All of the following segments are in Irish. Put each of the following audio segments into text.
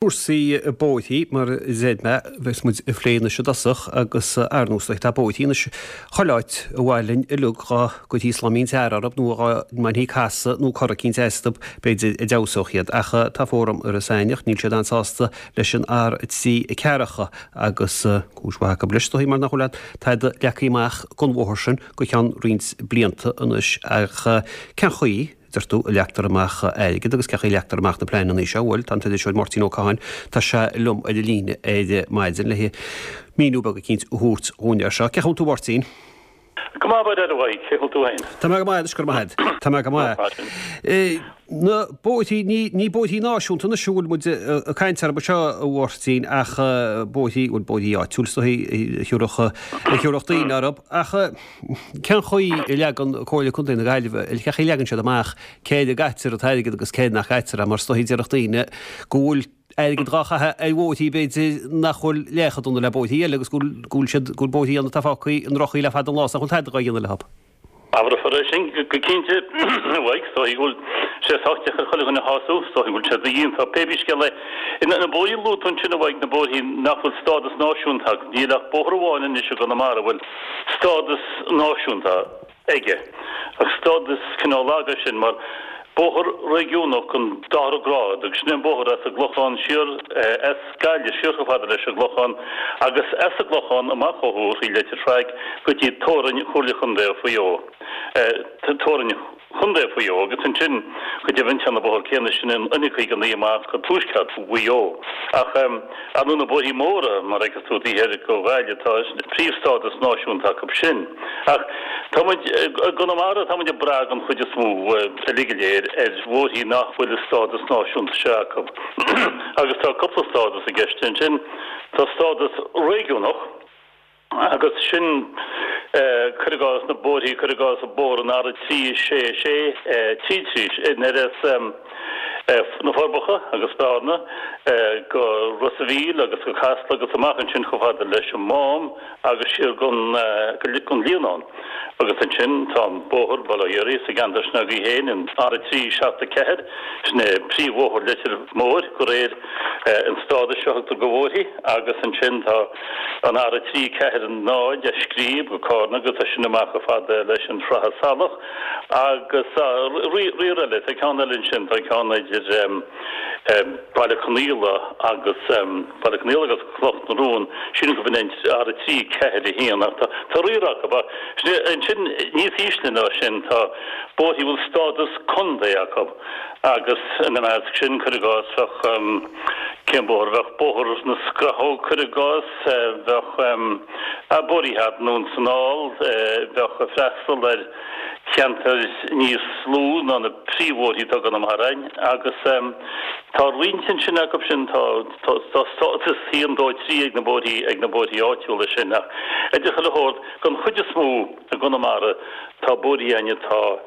Cúrsaí bóithrí, mar a deir mé, bheas muid ag plé anois i dtosach agus ar ndóigh tá bóithrí anois chuile áit a mhaith linn uilig dhá gcuirfí slaimín tar orthu nó dhá mbainfí casadh nó cor eicínt astu b'fhéidir a d'fheabhsódh iad. Ach tá Fóram Iorras Aithneach, níl siad an-sásta leis an R3 Ceathracha agus cúis mhaith acu leis is dóigh mar nach bhfuil aon tada leagtha amach don bhóthar sin go ceann roinnt blianta anois ach cén chaoi deir tú, a leagtar amach airgead agus cén chaoi a leagtar amach na pleananna seo? Bhuel, tá an t-iriseoir Máirtín Ó Catháin, tá sé liom ar an líne ar maidin le míniú beag eicínt a thabhairt dhúinn air seo. Cén chaoi a bhfuil tú, a Mháirtín? Go maith, a Mhaidhc, cén chaoi a bhfuil tú féin? Tá mé go maith anois, go raibh maith agat. Tá mé go maith. Na bóithrí, ní, ní bóithrí náisiúnta anois a bhfuil muid ag caint orthu seo, a Mháirtín, ach bóithrí, bhuel, bóithrí áitiúil is dóigh, a thiúrfadh, a thiúrfadh daoine orthu, ach Cén chaoi a leagann Comhairle Contae na Gaillimhe, cén chaoi a leagann siad amach cé air a gcaitear an t-airgead agus cé air nach gcaitear é mar is dóigh déarfadh daoine go bhfuil airgead dhá chaitheamh ar bhóithrí b'fhéidir nach bhfuil leath chomh dona le bóithrí eile agus go bhfuil siad, go bhfuil bóithrí ann atá fágtha i ndroch-chaoi le fada an lá is nach bhfuil tada dhá dhéanamh leo. Abrófar é sin go cinnte, a Mhaidhc, is dóigh go bhfuil sé sách deacair chuile dhuine a shású, is dóigh go bhfuil sé dodhéanta, pé bí scéal é. Na bóithrí a luaigh tú ansin, a Mhaidhc, na bóithrí nach bhfuil stádas náisiúnta acu, níl ach bóthar amháin anois i gConamara a bhfuil stádas náisiúnta aige, ach stádas cineál lag é sin, mar bóthar réigiúnach den dara grád, agus sin é an bóthar as an gClochán siar, as Gaillimh siar chomh fada leis an gClochán, agus as an gClochán amach ó thuaidh thrí Leitir Fraic go dtí teorainn Chomhairle Chontae Mhaigh Eo, teorainn. Chontae Mhaigh Eo agus ansin go deimhin téann an bóthar céanna sin an N59 amach go tuaisceart Mhaigh Eo. Ach ar ndóigh na bóithrí móra, mar a fheiceas tú taobh thoir de Ghaillimh, tá príomhstádas náisiúnta acu sin. Ach tá muid, i gConamara, tá muid ag brath den chuid is mó, uilig go léir, ar bhóithrí nach bhfuil an stádas náisiúnta seo acu. Agus tá cúpla stádas i gceist ansin. Tá stádas réigiúnach. Agus sin, cuir i gcás, na bóithrí, cuir i gcás, bóthar an R3 6 6 3 3, in ar as na Forbacha agus Bearna go Ros a' Mhíl agus go Casla agus amach ansin chomh fada leis an Mám agus siar gon gon Líonán. Agus ansin tá an bóthar Baile Átha Fhiorthaigh sa gceantar sin agaibh féin, an R3 7 4, sin é príomhbhóthar Leitir Móir de réir an stádais seo a thugtar do bhóithrí agus ansin tá An R3 4 0 as Scríb go Cárna agus as sin amach chomh fada leis an Sratha Salach agus riar eile. Tá ceann eile ansin, tá ceann idir Baile Conaola agus Baile Conaola agus Cloch na Rón, sílim gurb in é an R3 4 1 ach tá riar acu. Ansin níos ísle ná sin tá bóithre a bhfuil stádas contae acu agus ina measc sin, cuir i gcás, bheadh. Cén bóthar? Bheadh Bóthar na Scrathóg, cuir i gcás, bheadh bóithrí thar nDún na nGall, bheadh ag freastal ar cheantair níos lú ná na príomhbhóithrí atá i gConamara agus tá roinnt ansin acu sin, tá stádas 1, 2, 3 ag na bóithrí, ag na bóithrí áitiúla sin ach idir chuile shórt, den chuid is mó i gConamara tá bóithrí againn atá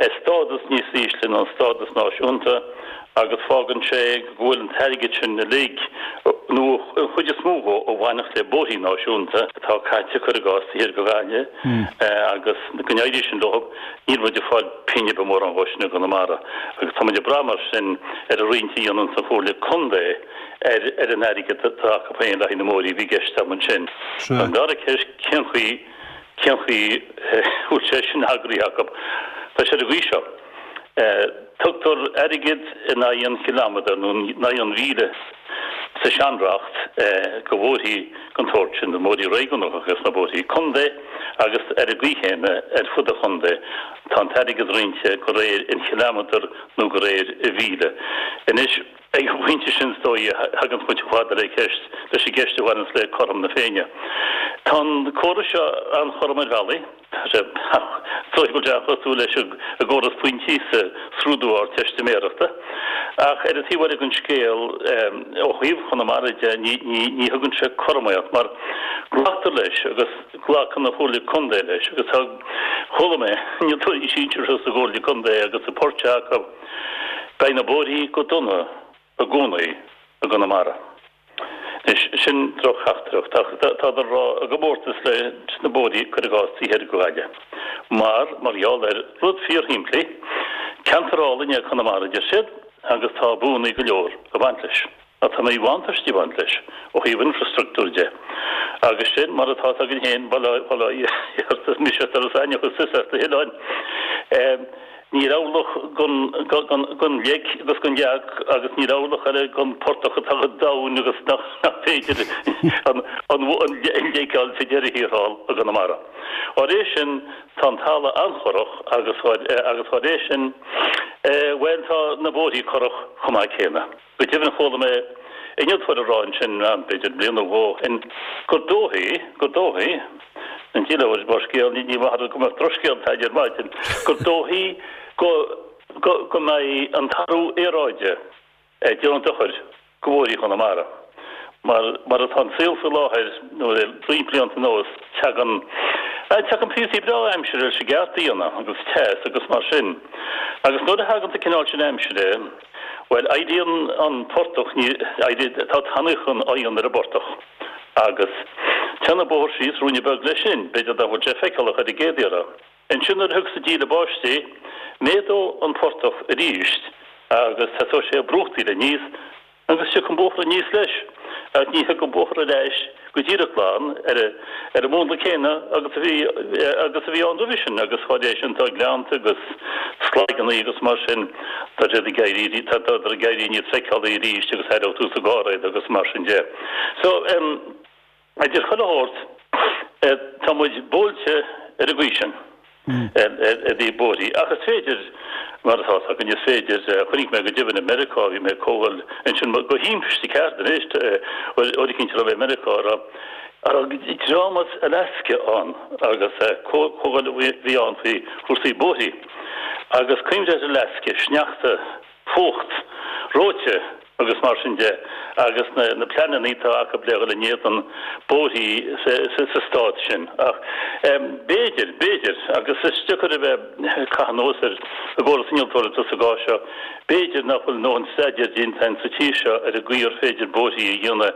ar stádas níos ísle ná an stádas náisiúnta agus fágann sé go bhfuil an t-airgead sin uilig, nó an chuid is mó dhó, a bhainfeadh le bóithrí náisiúnta atá caite, cuir i gcás, taobh thiar de Ghaillimh agus go n-éirí sin leo, níl muid ag fáil pingin ar bith mórán dhó sin i gConamara agus tá muid ag brath mar sin ar an roinnt a dhéananns an Chomhairle Contae ar ar an airgead atá acu féin le haghaidh na mbóithrí a bhí i gceist agam ansin. An dara ceist, cén chaoi Cén chaoi a bhfuil sé sin eagraithe acu? Tá sé ar an gcaoi seo. Tugtar airgead in aghaidh an chileamadair nó in aghaidh an mhíle sa seanreacht do bhóithrí den tsórt sin, na bóithrí réigiúnacha agus na bóithrí contae agus ar an gcaoi chéanna ar fud an chontae tá an t-airgead roinnte de réir an chileamadair nó de réir an mhíle. Anois. Ag an bpointe sin, is dóigh, a thaganns muid chomh fada le ceist, leis an gceist a bhaineanns le cothrom na Féinne. Tá an córas seo an-chothrom ar bhealaí. Tá sé, is dóigh go bhfuil sé an-chosúil leis an gcóras pointí sa scrúdú Ardteistiméireachta. Ach ar an taobh eile den scéal, ó thaobh Chonamara de, ní, ní, ní thugann sé cothromaíocht mar glactar leis agus glacann an Chomhairle Contae leis agus tá, chuala mé, innealtóirí sinseartha sa gComhairle Contae agus an port seo acu, Beidh na bóithrí go dona i gcónaí i gConamara. Anois, sin drochtheachtaireacht, ach tádar a rá i gcomórtas leis na bóithrí, cuir i gcás, taobh thoir de Ghaillimh. Mar, mar gheall ar rud fíorshimpli, ceantar álainn é Conamara, a deir siad, agus tá buanna go leor ag baint leis. Ach tá míbhuntáistí ag baint leis ó thaobh infreastruchtúir de. Agus sin mar atá a fhios againn féin, bail ó Dhia ort, is mise as Iorras Aithneach is tusa as na hoileáin. Níl eabhlach gan leic agus gan leac agus níl eabhlach eile gan portach atá chomh domhain agus nach féidir an leic a fháil sa deireadh thiar thall i gConamara. Dá réir sin, tá an talamh an-chorrach agus dá réir sin, bhuel, tá na bóithrí corrach chomh maith céanna. Go deimhin chuala mé innealtóir ag rá ansin, b'fhéidir bliain nó dhó ó shin, gur dóichí, gur dóichí, an díol mar scéal, ní maith go mbeadh drochscéal againn ar maidin, gur dóichí go, go, go mbeidh an t-athrú aeráide ag déanamh dochair go bhóithrí Chonamara. Mar, mar atá an saol faoi láthair, nó le roinnt blianta anuas, tagann, tagann píosaí breá aimsire leis an gceart a dhéanamh, agus teas agus mar sin. Agus nuair a thagann an cineál sin aimsire, Bhuel, éiríonn an portach, ní, éiríonn, tá tanaíocht oigheann ar an bportach agus téann an bóthar síos ruainne beag leis sin, b'fhéidir nach bhfuil sé feiceálach ar an gcéad iarraidh. Ansin nuair a thiocfas an díle báistí, méadóidh an portach arís agus tosóidh sé ag brúchtaíl aníos Agus tiocfaidh an bóthar aníos leis, ach ní thiocfaidh an bóthar ar ais go díreach glan ar ar an múnla céanna agus a bhí agus a bhí ann roimhe sin, agus dá réir sin tá gleannta agus slaigeanna agus mar sin, tá siad ag éirí, tá tá ag éirí níos feiceálaí arís agus aireoidh tú sa gcarr iad agus mar sin de. So, em. Idir chuile shórt, tá muid buailte ar an gcaoi sin, i dtaobh bóithrí. Ach is féidir, mar atá fhios againn, is féidir, chonaic mé go deimhin i Meiriceá, bhí mé ag comhdháil ansin, go thimpiste ceart anois, uair eicínt a raibh mé i Meiriceá, a raibh, a raibh dream as Alaska ann agus comhdháil a bhí ann faoi chúrsaí bóithrí. Agus cuimhnigh ar Alaska, sneachta, fuacht, reoite agus mar sin de agus na pleananna atá acu le dhul in éadan bóithrí sa stát sin. Ach b'fhéidir, b'fhéidir, agus is deacair a bheith ag caitheamh anuas ar an gcóras innealtóireachta sa gcás seo, b'fhéidir nach bhfuil a ndóthain staidéir déanta againn sa tír seo ar an gcaoi ar féidir bóithrí a dhéanamh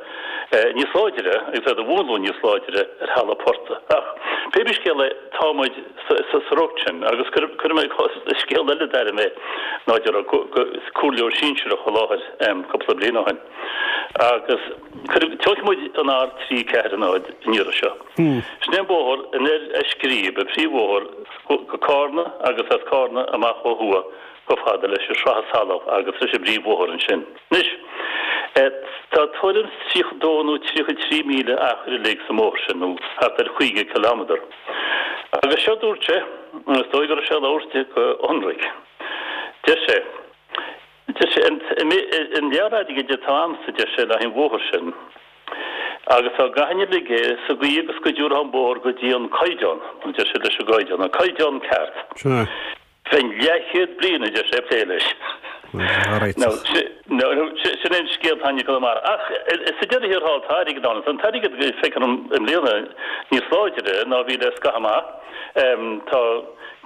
níos láidre agus iad a mhúnlú níos láidre ar thalamh portaigh. Ach pé scéal é, tá muid. sa riocht sin. Agus cuirfidh mé scéal eile d'aire mé ná go raibh comhairleoir sinsearach i láthair cúpla bliain ó shin. Agus tógfaidh muid an R340 an iarraidh seo. Sin é an bóthar anoir as Scríb, an príomhbhóthar go Cárna agus as Cárna amach ó thuaidh chomh fada leis an Srath Salach agus leis an bpríomhbhóthar ansin. Anois, tá tuairim is 32 nó 33 míle achair uilig sa mbóthar sin, nó thart ar 50 cileámadar. Agus seo dúirt sé, is dóigh go raibh sé ag labhairt go hionraic, deir sé, deir sé, an lear airgid atá a'msa, deir sé, le haghaidh an bhóthair sin, agus dá gcaithfinn uilig é sa gcaoi agus go dtabharfá an bóthar go dtí an caighdeán, deir sé leis an gcaighdeán, an caighdeán ceart. Bheinn leathchéad bliain, a deir sé, ag plé leis. Now, sin é an scéal atá i gConamara. Ach sa deireadh thiar thall, tá airgead ann. Tá an t-airgead, feictear dom, i mbliana níos láidre ná a bhí le scaitheamh amach. Tá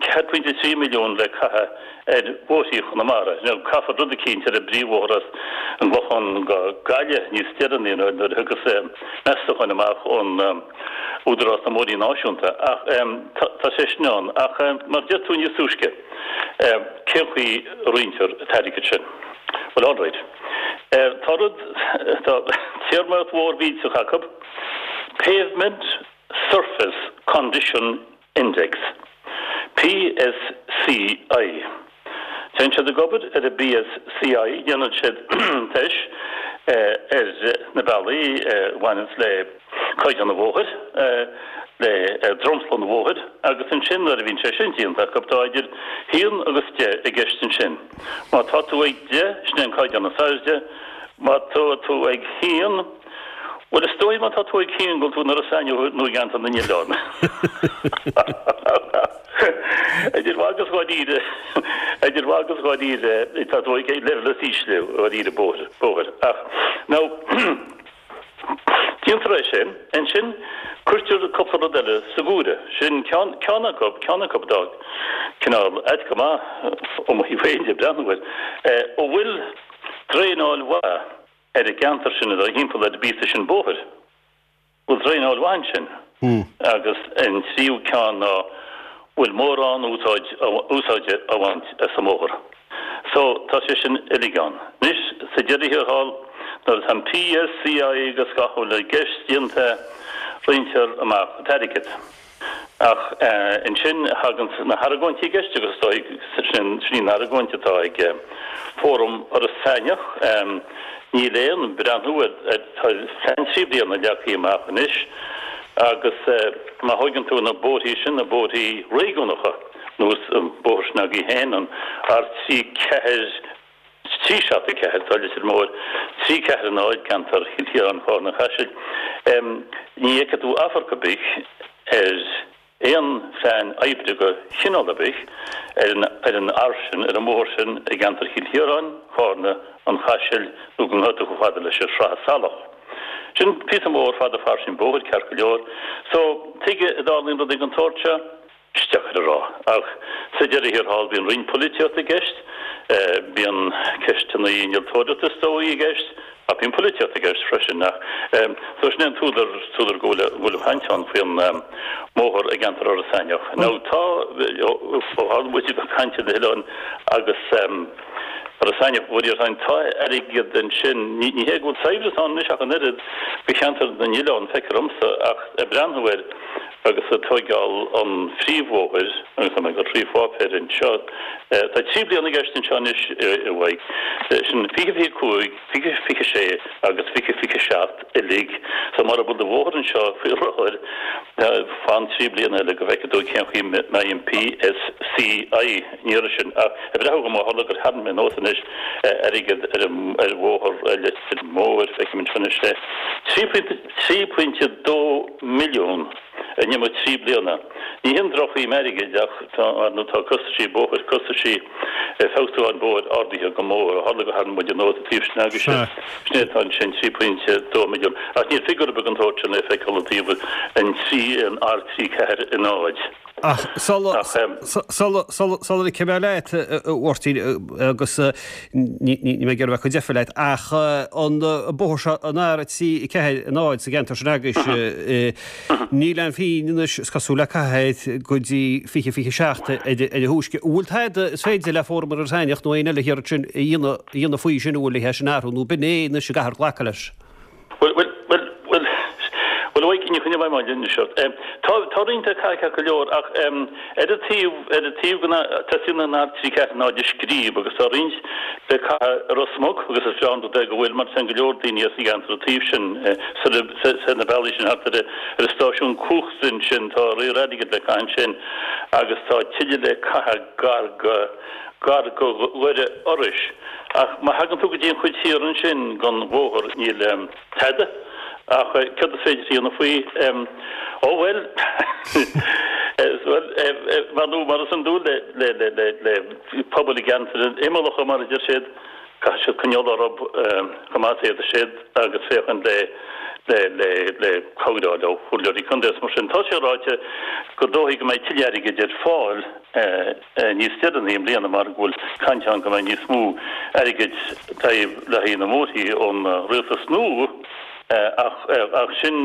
4.3 milliún le caitheamh ar bhóithrí Chonamara. Now, caithfear rud eicínt ar an bpríomhbhóthar as an gClochán go Gaillimh níos deireanaí nuair a thiocfas meastacháin amach ón Údarás na mBóithrí Náisiúnta, ach tá sé sin ann. Ach mar a deir tú níos túisce, cén chaoi a roinntear an t-airgead sin? Bhuel, alright. Tá rud, tá téarmaíocht mhór mhillteach acu, Pavement Surface Condition Index, PSCI. Téann siad ag obair ar an bPSCI, déanann siad teist ar na bealaí a bhaineanns le caighdeán an bhóthair, le dromchla an bhóthair agus ansin nuair a bhíonn sé sin déanta acu, tá idir haon agus deich i gceist ansin. Má tá tú ag deich, sin é an caighdeán is airde, má tá tú ag haon, Bhuel, is dóigh má tá tú ag haon go bhfuil tú in Iorras Aithneach nó i gCeantar na nOileán. Idir mhaith agus dháiríre, idir mhaith agus dháiríre, tá tú ag leibhéal is ísle dháiríre bóthair, bóthair. Ach, now, déantar é sin, ansin cuirtear cúpla rud eile sa gcomhaireamh. Sin ceann, ceann acu, ceann acu atá cineál ait go maith ó mo thaobh féin de, breathnú air, an bhfuil draenáil mhaith ar an gceantar sin atá thimpeall ar an bpíosa sin bóthair. Bhfuil draenáil mhaith ansin? Agus an tríú ceann ná bhfuil mórán úsáid úsáide á bhaint as an mbóthar. So, tá sé sin uilig ann. Anois, sa deireadh thiar thall, Nuair atá an PSCI agus gach a bhfuil i gceist déanta, roinntear amach an t-airgead. Ach ansin thagann na hargóintí i gceist agus is dóigh sin í an argóint atá ag Fóram Iorras Aithneach. Níl aon breathnú ar, tá plean 3 bliana leagtha amach anois agus má thóigeann tú na bóithrí sin, na bóithrí réigiúnacha, nós an bóthar sin agaibh féin, an R3 4, 3 7 4, tá Leitir Móir, 3 4 0, ceantar Chill Chiaráin, Chárna, Chaisil. Ní fheicfidh tú amharc ar bith ar aon phlean oibre de chineál ar bith ar an ar an R sin, ar an mbóthar sin i gceantar Chill Chiaráin, Chárna, an Chaisil nó go ngabhfaidh tú chomh fada leis an Srath Salach. Sin píosa mór fada fairsing bóthair, ceart go leor. So, tuige a dtarlaíonn rudaí den tsórt seo? Is deacair a rá. Ach sa deireadh thiar thall bíonn roinnt polaitíochta i gceist, bíonn ceisteanna innealtóireachta is dóigh i gceist, ach bíonn polaitíocht i gceist freisin. Ach so sin é an t-údar, t-údar go bhfuil, go bhfuil an chaint ann faoin mbóthar i gceantar Iorras Aithneach. Now tá, ó tharla muid ag caint ar na hoileáin agus Iorras Aithneach, bhuel déarfainn, tá airgead ansin, ní hé go bhfuil saibhreas ann anois ach an oiread do cheantar na n-oileán, feictear domsa, ach ag breathnú air, Agus ag tóigeáil an phríomhbhóthair, agus tá mé ag dul trí pháipéir anseo, tá 3 bliana i gceist anseo anois a Mhaidhc, sin 2025, 2026 agus 2027 uilig. So mura bhfuil do bhóthar anseo faoi láthair, fan 3 bliana eile go bhfeicfidh tú cén chaoi a mbeidh an PSCI an iarraidh sin. Ach ag breathnú dhom, ó tharla gur tharraing mé anuas anois airgead ar ar bhóthar Leitir Móir, feicim anseo anois é, 3.2 milliún in imeacht 3 bliana. Ní hin drochshuim airgid ach tá, ar ndóigh, tá costaisí bóthair, costaisí feabhsúcháin bóthair ardaithe go mór. Ó tharla gur tharraing muid anuas an taobh sin agaibhse, sin é atá ansin, 3.2 milliún. Ach níl figiúr ar bith den tsórt sin le feiceáil i dtaobh an 3, an R3 4 0. Ach sula ligfidh mé leat, a Mháirtín, agus ní mé ag iarraidh bheith ag cur deifir leat, ach an bóthar seo, an R3 4 0 sa gceantar sin agaibhse, níl aon phingin anois is cosúil le caitheamh go dtí 2027 ar a thúisce. An bhfuil tada is féidir le Fóram Iorras Aithneach nó éinne eile thiar ansin a dhéanamh faoi sin, an bhfuil le é sin a athrú nó b'in é anois a gcaithfear glacadh leis? Bhuel, bhuel, bhuel, bhuel, bhuel, a Mhaidhc, ní choinneoidh mé linn seo. Tá, tá roinnt le caitheamh go leor ach ar an taobh, ar an taobh go teastaíonn an R3 4 0 a scríobh agus tá roinnt le caitheamh i Ros Muc agus is breá an rud é go bhfuil mar téann go leor daoine as an gceantar an taobh sin, soir na bealaí sin thart ar ar an stáisiún cumhachta ansin, tá riar airgid le caitheamh ansin agus tá tuilleadh le caitheamh gar go, gar go Dhoire Iorrais. Ach má thagann tú go dtí an chuid thiar ansin den bhóthar níl tada. Ach céard is féidir a dhéanamh faoi? Ó bhuel, bhuel, mar nó mar is iondúil le, le, le, le, le pobail i gceantair imeallacha mar a deir siad, caithfidh siad coinneáil orthu chomh maith is a fhéadfaidh siad agus féachaint le, le, le, le cabhair a fháil ó chomhairleoirí contae is mar sin. Tá sé ráite gur dóichí go mbeidh tuilleadh airgid ar fáil. níos deireanaí i mbliana mar go bhfuil caint ann go mbeidh níos mó airgid le haghaidh na mbóithrí ón rialtas nua ach sin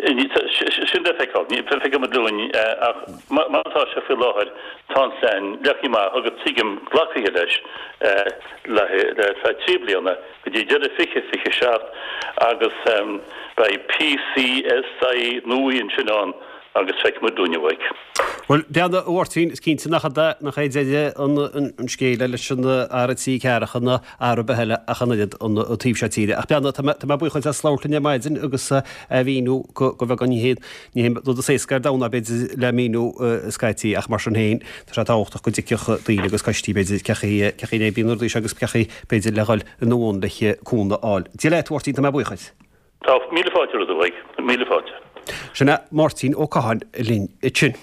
sin le feiceáil. Feicfidh muid linn ach mar atá sé faoi láthair tá an plean leagtha amach agus tuigim glactha leis le feadh 3 bliana go dtí deireadh 2027 agus beidh PCSI nua ansin ann agus feicfidh muid linn a Mhaidhc. Bhuel, beannacht a Mháirtín, is cinnte nach nach é deireadh an scéil leis an R3 ceathracha ná R ar bith eile ach an oiread an taobh seo tíre. Ach beannacht, tá mé tá mé buíoch duit as labhairt linn ar maidin agus a mhíniú go go bheagán ní hé ní hé rud is éasca ar domhan é b'fhéidir le míniú scaití ach mar sin féin tá sé tábhachtach go dtuigfeadh daoine agus coistí b'fhéidir cé chaoi cé chaoi a n-oibríonn na rudaí seo agus cé chaoi b'fhéidir le dhul ina bhun le cúnamh a fháil. Dia leat a Mháirtín, tá mé buíoch duit. Tá míle fáilte romhat a Mhaidhc, míle fáilte. Sin é Máirtín Ó Catháin linn ansin.